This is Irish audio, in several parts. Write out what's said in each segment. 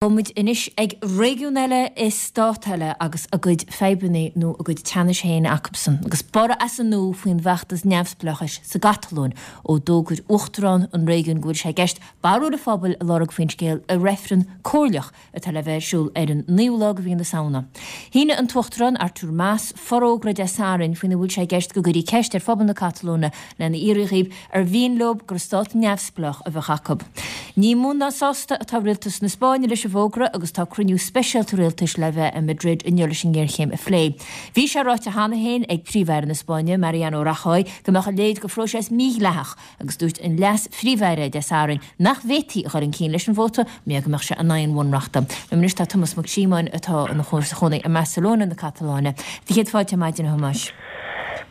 Gabhfaidh muid anois ag réigiún eile i stát eile agus a gcuid fadhbanna nó a gcuid teannais féin acusan. Agus borradh as an nua faoin bhfeachtas neamhspleáchais sa gCatalóin ó d'fhógair uachtarán an réigiúin go bhfuil sé i gceist barúil an phobail a lorg faoin scéal i reifreann comhairleach atá le bheith ar siúl ar an naoú lá de mhí na Samhna. Shínigh an tUachtarán Artur Mas forógra Dé Sathairn faoina bhfuil sé i gceist go gcuirfí ceist ar phobal na Catalóine lena fhiafraí dhíobh ar mhian leo gur stát neamhspleách a bheadh acu. Ní mó ná sásta atá rialtas na Spáinne leis an bhfógra agus tá cruinniú speisialta rialtais le bheith i Madrid inniu leis an ngéarchéim a phlé. Bhí sé ráite cheana féin ag Príomh-Aire na Spáinne, Mariano Rajoy, go mbeadh a leithéid de phróiseas mídhleathach agus dúirt an Leas-Phríomh-Aire Dé Sathairn nach bhféadfaí a dhul chun cinn leis an vóta mar go mbeadh sé in aghaidh an bhunreachta. Liom anois tá Tomás Mac Síomóin atá ina chónaí i mBarcelona na Catalóine. Do chéad fáilte ar maidin, a Thomáis.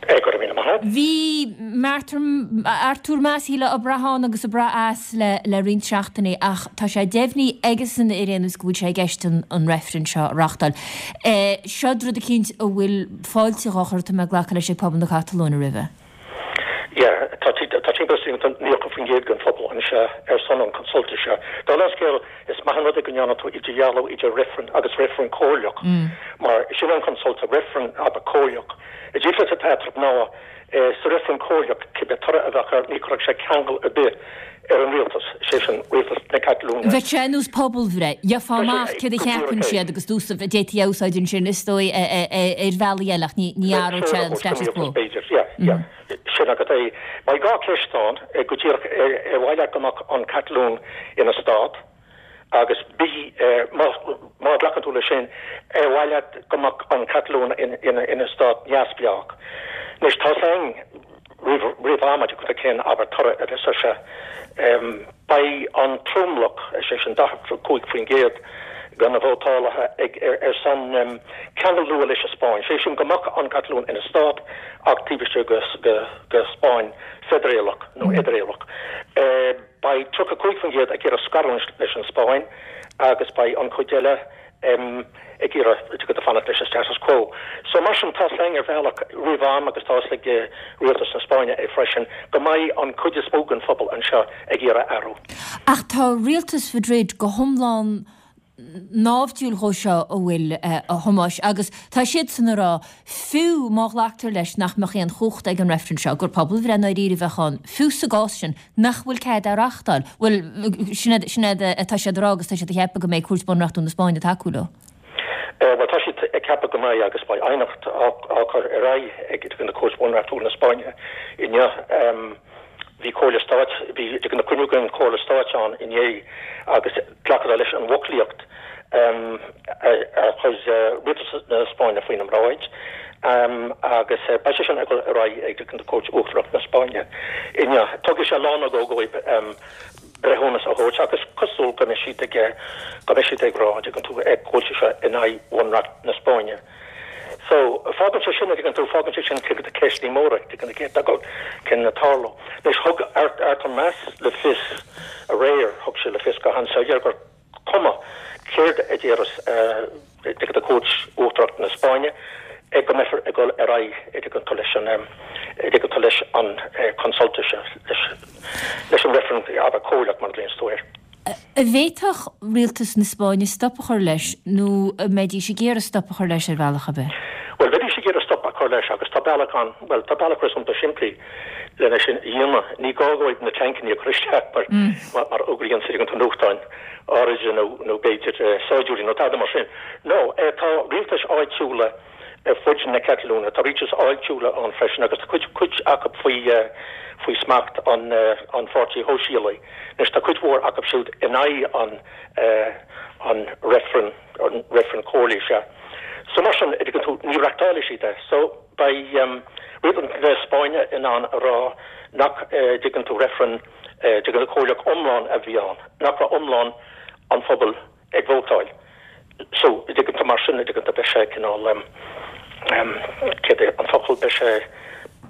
Go raibh míle maith agat. Bhí Artur Mas, shílfeá, ag brath ann agus ag brath as le le roinnt seachtainí ach tá sé deimhnithe aigesan ar aon nós go bhfuil sé i gceist an reifreann seo a reáchtáil. Seo rud eicínt a bhfuil fáilte dhá chur, tá mé ag glacadh leis, ag pobal na Catalóine roimhe. Yeah, tá tá timpeall is 90% den phobal anseo ar son an consulta seo. Dála an scéil, is maith an rud é go ndearna tú idirdhealú idir reifreann agus reifreann comhairleach, mar sin an consulta, reifreann abair comhairleach. An difríocht atá eatarthu ná, sa reifreann comhairleach, cibé toradh a bheadh air, ní chuirfeadh sé ceangal ar bith ar an rialtas, sé sin, rialtas na Catalóine. Bheadh sé ar nós pobalbhreith. Gheofá amach céard a cheapann siad agus d'fhéadfaí é a úsáid ansin, is dóigh, ar bhealaí eile ach ní athródh sé an status quo. B'fhéidir, yeah, yeah. Sin agat é. Beidh 2 ceist ann, go díreach, ar mhaith leat go mbeadh an Catalóin ina stát? Agus B, má ghlacann tú leis sin, ar mhaith leat go mbeadh an Catalóin ina stát neamhspleách? Anois, tá 's againn roimh am cad é cén, abair, toradh a bheas air seo. Beidh an tromlach, is é sin 45% de na vótálaithe, ag ar son ceangal nua leis an Spáinn, sé sin go mbeadh an Catalóin ina stát ach taobh istigh de Spáinn feidearálach nó fheidearálach. Beidh 35% ag iarraidh scarúint leis an Spáinn agus beidh an chuid eile ag iarraidh fanacht leis an status quo. So mar sin, tá's againn ar bhealach roimh am agus tá's ag rialtas na Spáinne é freisin go mbeidh an chuid is mó den phobal anseo ag iarraidh athrú. Ach tá rialtas Mhadrid go hiomlán naimhdiúil dhó seo, an bhfuil, a Thomáis, agus tá siadsan ag rá, fiú má ghlactar leis nach mbeadh aon chumhacht ag an reifreann seo, gur pobalbhreith i ndáiríre a bheadh ann, fiú sa gcás sin, nach bhfuil cead é a reáchtáil. Bhuel, sin é, sin é atá siad a rá agus tá siad ag ceapadh go mbeidh Cúirt Bunreachtúil na Spáinne ag tacú leo. Bhuel, tá siad ag ceapadh go mbeidh agus beidh aighneacht á cur ar aghaidh ag na Cúirt Bhunreachtúil na Spáinne inniu. Bhí Comhairle Stáit, bhí na cruinniú den Chomhairle Stáit ann inné agus glacadar leis an bhfoclaíocht a chuir Rialtas na Spáinne faoina mbráid agus beidh sé sin ag dul ar aghaidh ag an Cúirt Uachtarach na Spáinne inniu. Tógfaidh sé lá nó dhó dóibh breithiúnas a thabhairt ach is cosúil go mbeidh siad ag go mbeidh siad ag rá, an dtuigeann tú, go bhfuil sé seo in aghaidh Bhunreacht na Spáinne. So, fágann sé sin, an dtuigeann tú, fágann sé sin cuid de ceisteanna móra, an dtuigeann tú, céard atá chun tarlú. Anois, thug Artur Mas le fios aréir, thug sé le fios go han-soiléir gur cuma céard a déarfas an tú Cúirt Uachtarach na Spáinne, go mbeifear ag dul ar aghaidh, an dtuigeann tú, leis an, an dtuigeann tú, leis an consulta seo, leis an reifreann, abair, comhairleach mar a ghlaonns tú air. An bhféadfadh rialtas na Spáinne stop a chur leis nó an mbeidís ag iarraidh stop a chur leis ar bhealach ar bith? Bhuel, bheidís ag iarraidh stop a chur leis agus tá bealach ann, bhuel, tá bealach réasúnta simplí lena sin a dhéanamh. Ní gá dóibh na tancanna a chur isteach mar mar a fhógraíonn siad ins na nuachtáin áirithe nó nó b'fhéidir saighdiúirí nó tada mar sin. No, tá rialtais áitiúla ar fud na Catalóine, tá rialtais áitiúla ann freisin agus tá cuid cuid acu faoi faoi smacht an an Pháirtí Shóisialaigh. Anois tá cuid mhór acu siúd in aghaidh an an reifreann, an reifreann comhairligh seo. So mar sin, an dtuigeann tú, ní reachtálfaidh siad é. So beidh rialtas na Spáinne in ann a rá nach dtuigeann tú reifreann, dtuigeann tú, comhairleach iomlán a bhí ann, nach raibh iomlán an phobail ag vótáil. So, an dtuigeann tú, mar sin, an dtuigeann tú, beidh sé cineál, céard é an focal, beidh sé,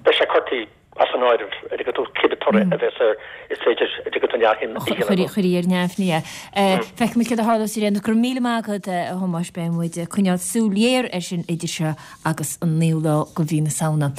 beidh sé curtha as an áireamh, an dtuigeann tú, cibé toradh a bheas air, is féidir, an dtuigeann tú, neamhshuim a dhéanamh. Chuirfí ar neamhní é. Feicfimid céard a tharlós ar aon nós. Go raibh míle maith agat, a Thomáis. Beidh muid ag coinneáil súil ghéar air sin idir seo agus an naoú lá de mhí na Samhna.